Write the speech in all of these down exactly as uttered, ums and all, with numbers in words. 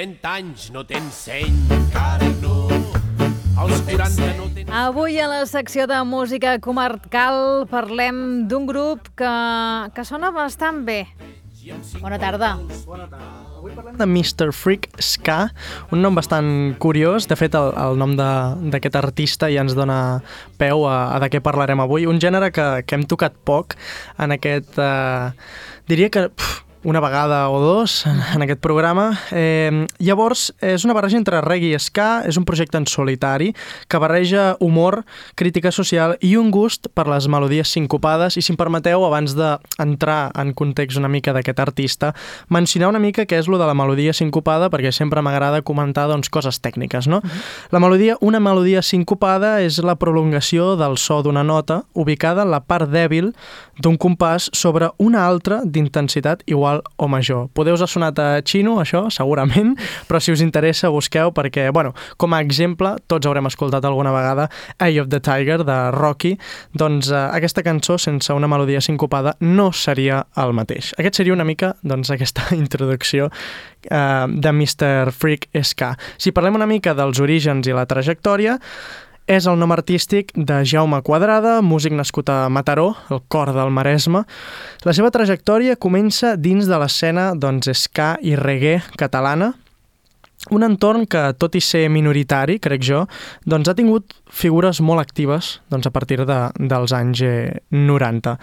trenta anys no tens seny, encara no. Als quaranta no tens... Avui a la secció de música comarcal parlem d'un grup que, que sona bastant bé. Bona tarda. Bona tarda. Avui parlem de mister Freak Ska, un nom bastant curiós. De fet, el, el nom d'aquest artista ja ens dona peu a, a de què parlarem avui. Un gènere que, que hem tocat poc en aquest... Eh, diria que... Pff, una vegada o dos en, en aquest programa. Eh, llavors, és una barreja entre reggae i ska, és un projecte en solitari que barreja humor, crítica social i un gust per les melodies sincopades. I si em permeteu, abans d'entrar en context una mica d'aquest artista, mencionar una mica què és lo de la melodia sincopada, perquè sempre m'agrada comentar doncs, coses tècniques, no? Uh-huh. La melodia, una melodia sincopada és la prolongació del so d'una nota ubicada en la part dèbil d'un compàs sobre una altra d'intensitat igual o major. Podeu us ha sonat a xino, això, segurament, però si us interessa busqueu perquè, bueno, com a exemple, tots haurem escoltat alguna vegada Eye of the Tiger, de Rocky, doncs eh, aquesta cançó sense una melodia sincopada no seria el mateix. Aquest seria una mica, doncs, aquesta introducció eh, de mister Freak Ska. Si parlem una mica dels orígens i la trajectòria, és el nom artístic de Jaume Quadrada, músic nascut a Mataró, el cor del Maresme. La seva trajectòria comença dins de l'escena doncs, ska i reggae catalana, un entorn que, tot i ser minoritari, crec jo, doncs ha tingut figures molt actives doncs, a partir de, dels anys noranta.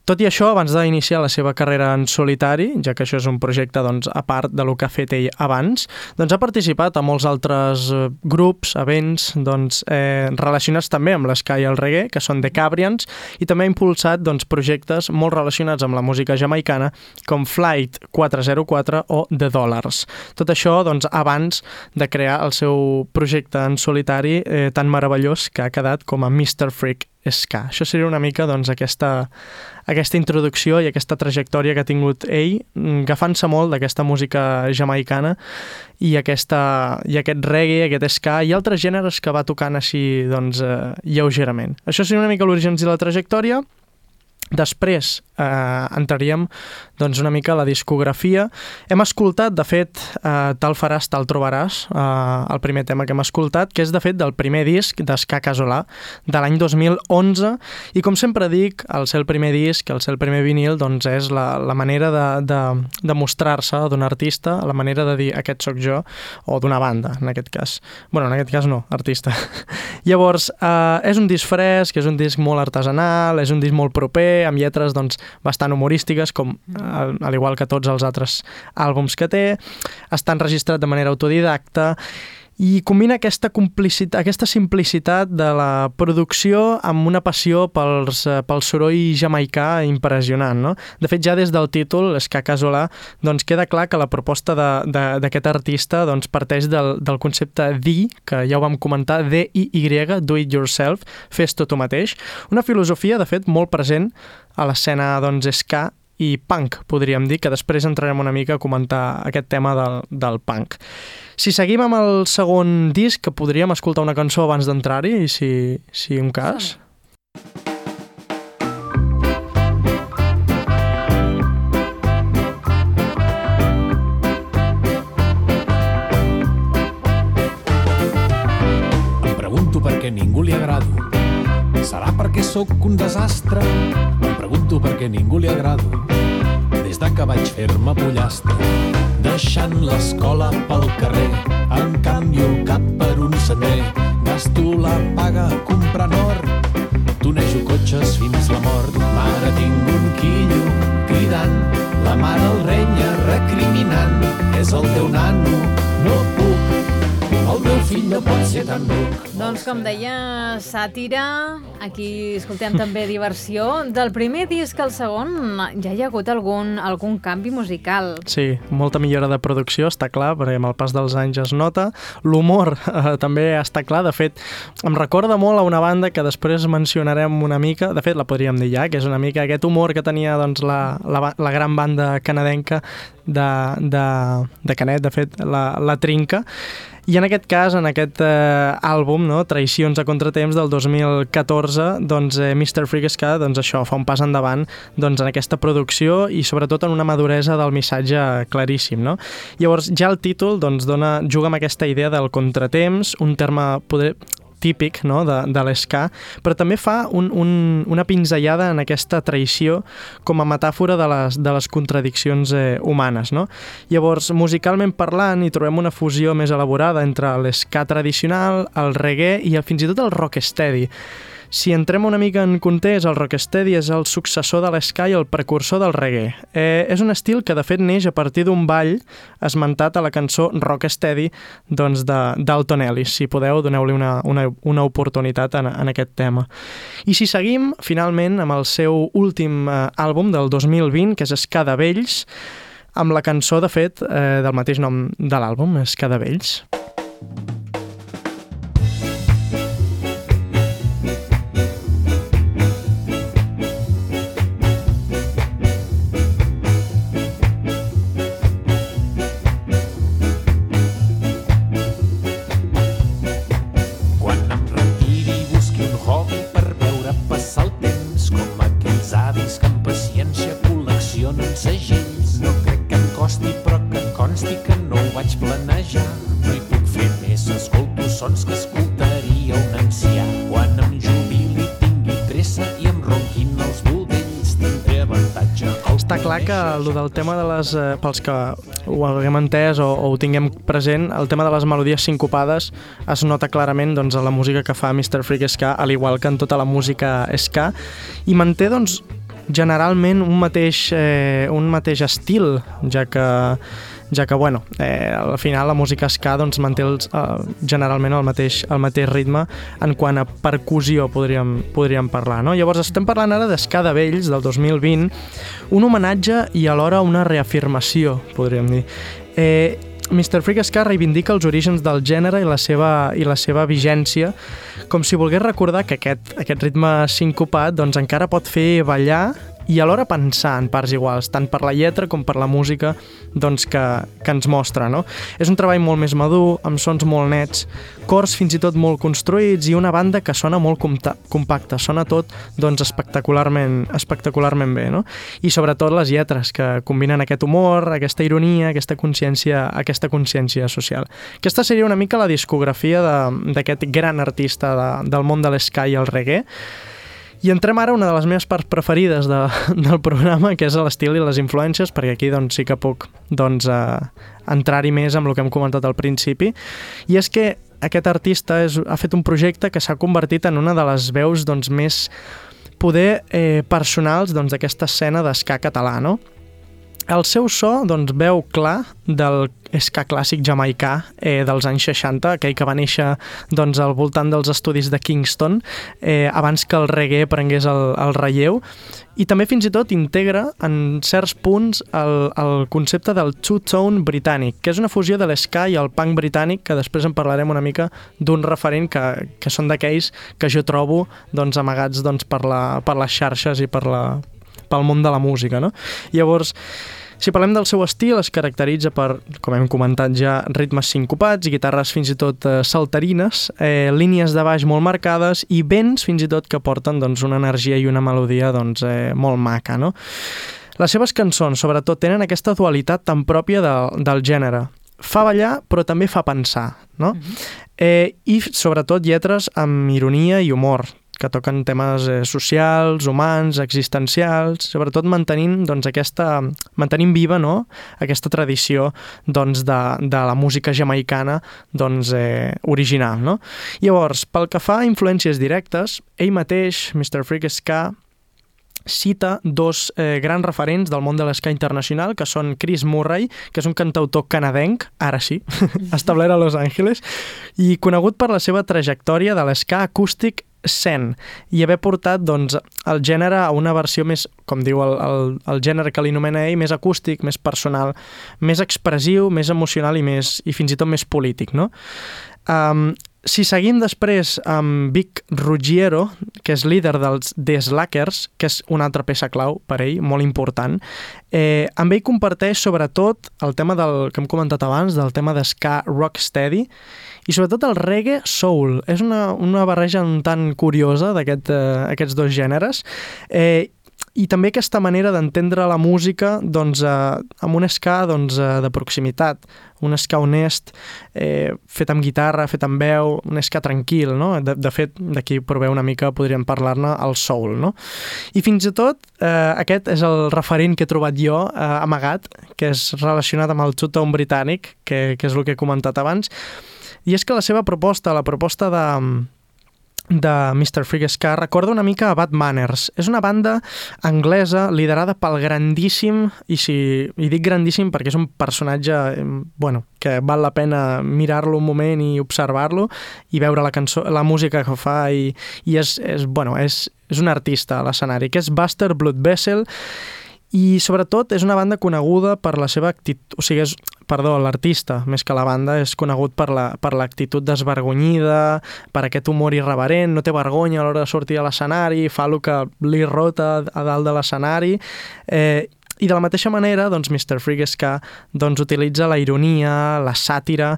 Tot i això, abans d'iniciar la seva carrera en solitari, ja que això és un projecte doncs, a part de lo que ha fet ell abans, doncs ha participat a molts altres grups, events doncs, eh, relacionats també amb l'esca i el reggae, que són The Cabrians, i també ha impulsat doncs, projectes molt relacionats amb la música jamaicana, com Flight quatre zero quatre o The Dollars. Tot això doncs, abans de crear el seu projecte en solitari eh, tan meravellós que ha quedat com a mister Freak Ska. Això seria una mica doncs, aquesta, aquesta introducció i aquesta trajectòria que ha tingut ell, agafant-se molt d'aquesta música jamaicana i, aquesta, i aquest reggae, aquest ska i altres gèneres que va tocant així doncs, eh, lleugerament. Això seria una mica l'origen i la trajectòria. Després eh, entraríem doncs, una mica a la discografia. Hem escoltat, de fet, eh, Tal faràs, tal trobaràs, eh, el primer tema que hem escoltat, que és, de fet, del primer disc d'Ska Casolà, de l'any dos mil onze, i com sempre dic, al ser el primer disc, al ser el primer vinil, doncs és la, la manera de, de, de mostrar-se d'un artista, la manera de dir aquest sóc jo, o d'una banda, en aquest cas. Bueno, en aquest cas no, artista. Llavors, eh, és un disc fresc, és un disc molt artesanal, és un disc molt proper, amb lletres doncs, bastant humorístiques, com al, al igual que tots els altres àlbums que té. Està enregistrat de manera autodidacta i combina aquesta, complicitat, aquesta simplicitat de la producció amb una passió pels, pel soroll jamaicà impressionant. No? De fet, ja des del títol, Ska Casolà, doncs queda clar que la proposta d'aquest artista doncs, parteix del, del concepte D I, que ja ho vam comentar, D I Y, do it yourself, fes tot tu mateix. Una filosofia, de fet, molt present a l'escena doncs, ska i punk, podríem dir, que després entrarem una mica a comentar aquest tema del, del punk. Si seguim amb el segon disc, que podríem escoltar una cançó abans d'entrar-hi, si, si un cas. Em pregunto per què ningú li agrado. Serà perquè sóc un desastre? Em pregunto per què ningú li agrado. Des de que vaig fer-me pollastre, deixant l'escola pel carrer, em canvio el cap per un sender, gasto la paga comprant or, tonejo cotxes fins la mort. Mare, tinc un quillo cridant, la mare el renya recriminant, és el teu nano, no puc, el meu fill no pot ser tan ruc. Doncs com deia, sàtira, aquí escoltem també diversió. Del primer disc al segon ja hi ha hagut algun, algun canvi musical. Sí, molta millora de producció, està clar, perquè amb el pas dels anys es nota. L'humor eh, també està clar, de fet, em recorda molt a una banda que després mencionarem una mica, de fet la podríem dir ja, que és una mica aquest humor que tenia doncs, la, la, la gran banda canadenca de, de, de Canet, de fet, la, la Trinca. I en aquest cas, en aquest eh, àlbum, no, Traïcions a contratemps del dos mil catorze, doncs eh, mister Freak Ska, doncs això, fa un pas endavant doncs, en aquesta producció i sobretot en una maduresa del missatge claríssim, no? Llavors, ja el títol doncs, dona, juga amb aquesta idea del contratemps, un terme poder, típic, no, de, de l'esca, però també fa un, un, una pinzellada en aquesta traïció com a metàfora de les, de les contradiccions eh, humanes, no? Llavors, musicalment parlant, hi trobem una fusió més elaborada entre l'esca tradicional, el reggae i el, fins i tot el rocksteady. Si entrem una mica en context, el rocksteady és el successor de l'esca i el precursor del reggae. Eh, és un estil que de fet neix a partir d'un ball esmentat a la cançó Rocksteady doncs de d'Alton Ellis. Si podeu, doneu-li una, una, una oportunitat en, en aquest tema. I si seguim, finalment, amb el seu últim eh, àlbum del dos mil vint, que és Ska de Vells, amb la cançó, de fet, eh, del mateix nom de l'àlbum, Ska de Vells. Que el del tema de les, eh, pels que ho haguem entès o, o ho tinguem present, el tema de les melodies sincopades es nota clarament doncs, a la música que fa mister Freak Ska, al igual que en tota la música ska, i manté doncs, generalment un mateix, eh, un mateix estil, ja que ja que, bueno, eh, al final la música ska doncs, manté els, eh, generalment el mateix, el mateix ritme en quant a percussió podríem, podríem parlar, no? Llavors estem parlant ara d'Ska de Vells del dos mil vint, un homenatge i alhora una reafirmació, podríem dir. Eh, mister Freak Ska reivindica els orígens del gènere i la seva, i la seva vigència, com si volgués recordar que aquest, aquest ritme sincopat doncs, encara pot fer ballar i alhora pensar en parts iguals, tant per la lletra com per la música doncs, que, que ens mostra, no? És un treball molt més madur, amb sons molt nets, cors fins i tot molt construïts i una banda que sona molt compacta, sona tot doncs, espectacularment, espectacularment bé, no? I sobretot les lletres, que combinen aquest humor, aquesta ironia, aquesta consciència, aquesta consciència social. Aquesta seria una mica la discografia d'aquest gran artista de, del món de l'esca i el reggae. I entrem ara a una de les meves parts preferides de, del programa, que és l'estil i les influències, perquè aquí doncs, sí que puc doncs, eh, entrar-hi més amb el que hem comentat al principi. I és que aquest artista és, ha fet un projecte que s'ha convertit en una de les veus doncs, més poder eh, personals doncs, d'aquesta escena d'esca català, no? El seu so doncs, veu clar del ska clàssic jamaicà eh, dels anys seixanta, aquell que va néixer doncs, al voltant dels estudis de Kingston, eh, abans que el reggae prengués el, el relleu, i també fins i tot integra en certs punts el, el concepte del two-tone britànic, que és una fusió de l'esca i el punk britànic, que després en parlarem una mica d'un referent que, que són d'aquells que jo trobo doncs, amagats doncs, per, la, per les xarxes i per la, pel món de la música, no? Llavors, si parlem del seu estil, es caracteritza per, com hem comentat ja, ritmes sincopats, guitarres fins i tot eh, saltarines, eh, línies de baix molt marcades i vents fins i tot que porten doncs, una energia i una melodia doncs, eh, molt maca, no? Les seves cançons, sobretot, tenen aquesta dualitat tan pròpia de, del gènere. Fa ballar, però també fa pensar, no? Mm-hmm. eh, I, sobretot, lletres amb ironia i humor, que toquen temes eh, socials, humans, existencials, sobretot mantenint, doncs, aquesta, mantenint viva, no?, aquesta tradició doncs, de, de la música jamaicana doncs, eh, original. No? Llavors, pel que fa a influències directes, ell mateix, mister Freak Ska, cita dos eh, grans referents del món de l'esca internacional, que són Chris Murray, que és un cantautor canadenc, ara sí, establert a Los Angeles, i conegut per la seva trajectòria de l'esca acústic zen, i haver portat doncs, el gènere a una versió més, com diu el, el, el gènere que li anomena ell, més acústic, més personal, més expressiu, més emocional i, més, i fins i tot més polític. No? Um, Si seguim després amb Vic Ruggiero, que és líder dels The Slackers, que és una altra peça clau per ell, molt important, eh, amb ell comparteix sobretot el tema del que hem comentat abans, del tema d'ska rocksteady, i sobretot el reggae soul. És una, una barreja un tant curiosa d'aquests aquest, eh, dos gèneres, eh, i també aquesta manera d'entendre la música doncs, eh, amb un ska doncs, eh, de proximitat, un ska honest, eh, fet amb guitarra, fet amb veu, un ska tranquil, no? De, de fet, d'aquí proveu una mica, podríem parlar-ne, el soul, no? I fins i tot, eh, aquest és el referent que he trobat jo, eh, amagat, que és relacionat amb el Two-Tone britànic, que, que és el que he comentat abans, i és que la seva proposta, la proposta de... de mister Freak Ska recorda una mica a Bad Manners. És una banda anglesa liderada pel grandíssim, i si i dic grandíssim perquè és un personatge bueno, que val la pena mirar-lo un moment i observar-lo i veure la cançó, la música que fa i, i és, és, bueno, és, és un artista a l'escenari, que és Buster Bloodvessel, i sobretot és una banda coneguda per la seva actitud, o sigui, és, perdó, l'artista, més que la banda, és conegut per la, per l'actitud desvergonyida, per aquest humor irreverent, no té vergonya a l'hora de sortir a l'escenari, fa el que li rota a dalt de l'escenari, eh, i de la mateixa manera, doncs, mister Freak Ska doncs, utilitza la ironia, la sàtira,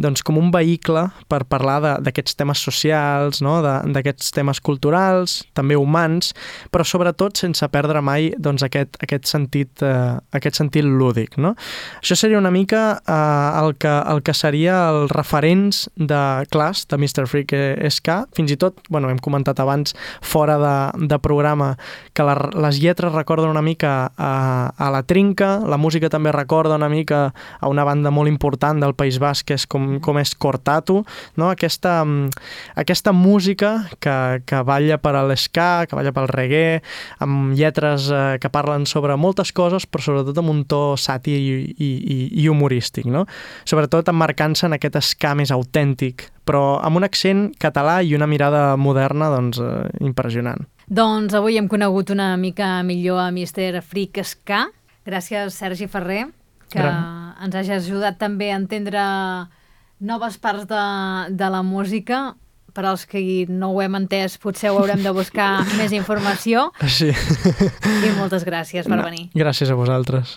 doncs, com un vehicle per parlar d'aquests temes socials, no? d'aquests temes culturals, també humans, però sobretot sense perdre mai doncs, aquest, aquest, sentit, eh, aquest sentit lúdic. No? Això seria una mica eh, el, que, el que seria els referents de clars de mister Freak Ska. Fins i tot, bueno, hem comentat abans, fora de, de programa, que la, les lletres recorden una mica a a la Trinca, la música també recorda una mica a una banda molt important del País Basc, que és com, com és Cortatu, no? aquesta, aquesta música que, que balla per a l'esca, que balla pel reggae, amb lletres eh, que parlen sobre moltes coses, però sobretot amb un to sàtir i, i, i, i humorístic, no? Sobretot emmarcant-se en aquest ska més autèntic, però amb un accent català i una mirada moderna doncs, eh, impressionant. Doncs avui hem conegut una mica millor a mister Freak Ska. Gràcies, Sergi Ferrer, que Gran. ens hagis ajudat també a entendre noves parts de, de la música. Per als que no ho hem entès, potser ho haurem de buscar més informació. Sí. I moltes gràcies per no, venir. Gràcies a vosaltres.